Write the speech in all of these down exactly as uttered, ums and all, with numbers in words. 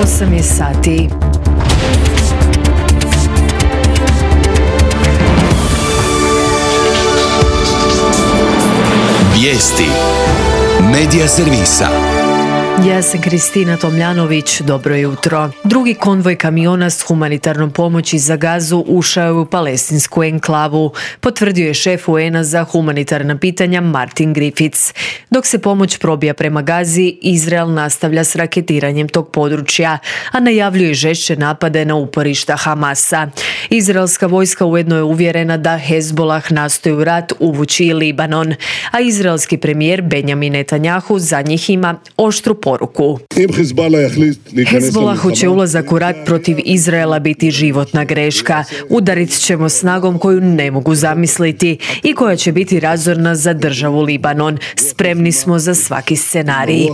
osam je sati. Vijesti Medija servisa. Ja sam Kristina Tomljanović, dobro jutro. Drugi konvoj kamiona s humanitarnom pomoći za Gazu ušao je u palestinsku enklavu, potvrdio je šef U N-a za humanitarna pitanja Martin Griffiths. Dok se pomoć probija prema Gazi, Izrael nastavlja s raketiranjem tog područja, a najavljuje žešće napade na uporišta Hamasa. Izraelska vojska ujedno je uvjerena da Hezbolah nastoji u rat uvući i Libanon, a izraelski premijer Benjamin Netanjahu za njih ima oštru poruku. Hezbolahu će ulazak u rat protiv Izraela biti životna greška. Udarit ćemo snagom koju ne mogu zamisliti i koja će biti razorna za državu Libanon. Spremni smo za svaki scenarij.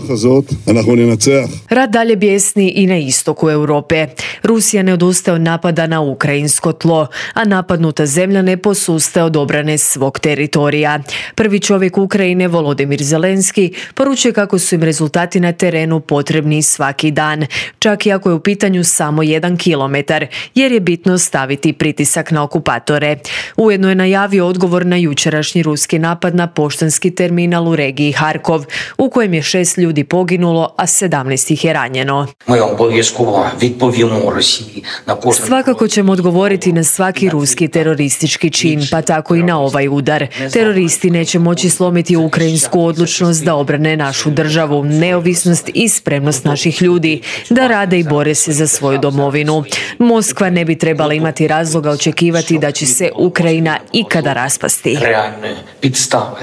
Rat dalje bijesni i na istoku Europe. Rusija ne odustaje od napada na ukrajinsko tlo, a napadnuta zemlja ne posustaje od obrane svog teritorija. Prvi čovjek Ukrajine, Volodimir Zelenski, poručuje kako su im rezultati na terenu potrebni svaki dan, čak i ako je u pitanju samo jedan kilometar, jer je bitno staviti pritisak na okupatore. Ujedno je najavio odgovor na jučerašnji ruski napad na poštanski terminal u regiji Harkov, u kojem je šest ljudi poginulo, a sedamnaest ih je ranjeno. Svakako ćemo odgovoriti na svaki ruski teroristički čin, pa tako i na ovaj udar. Teroristi neće moći slomiti ukrajinsku odlučnost da obrane našu državu, neovisnost i spremnost naših ljudi da rade i bore se za svoju domovinu. Moskva ne bi trebala imati razloga očekivati da će se Ukrajina ikada raspasti. Realne підстави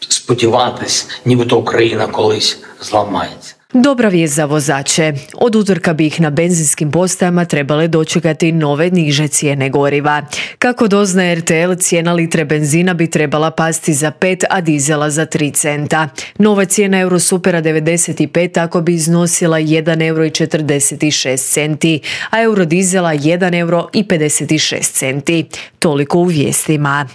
сподіватись, нібито Україна колись зламається. Dobra vijest za vozače. Od utorka bi ih na benzinskim postajama trebale dočekati nove niže cijene goriva. Kako doznaje R T L, cijena litre benzina bi trebala pasti za pet, a dizela za tri centa. Nova cijena Eurosupera devedeset pet tako bi iznosila jedan euro i četrdeset šest centi, a Eurodizela jedan euro i pedeset šest centi. Toliko u vijestima.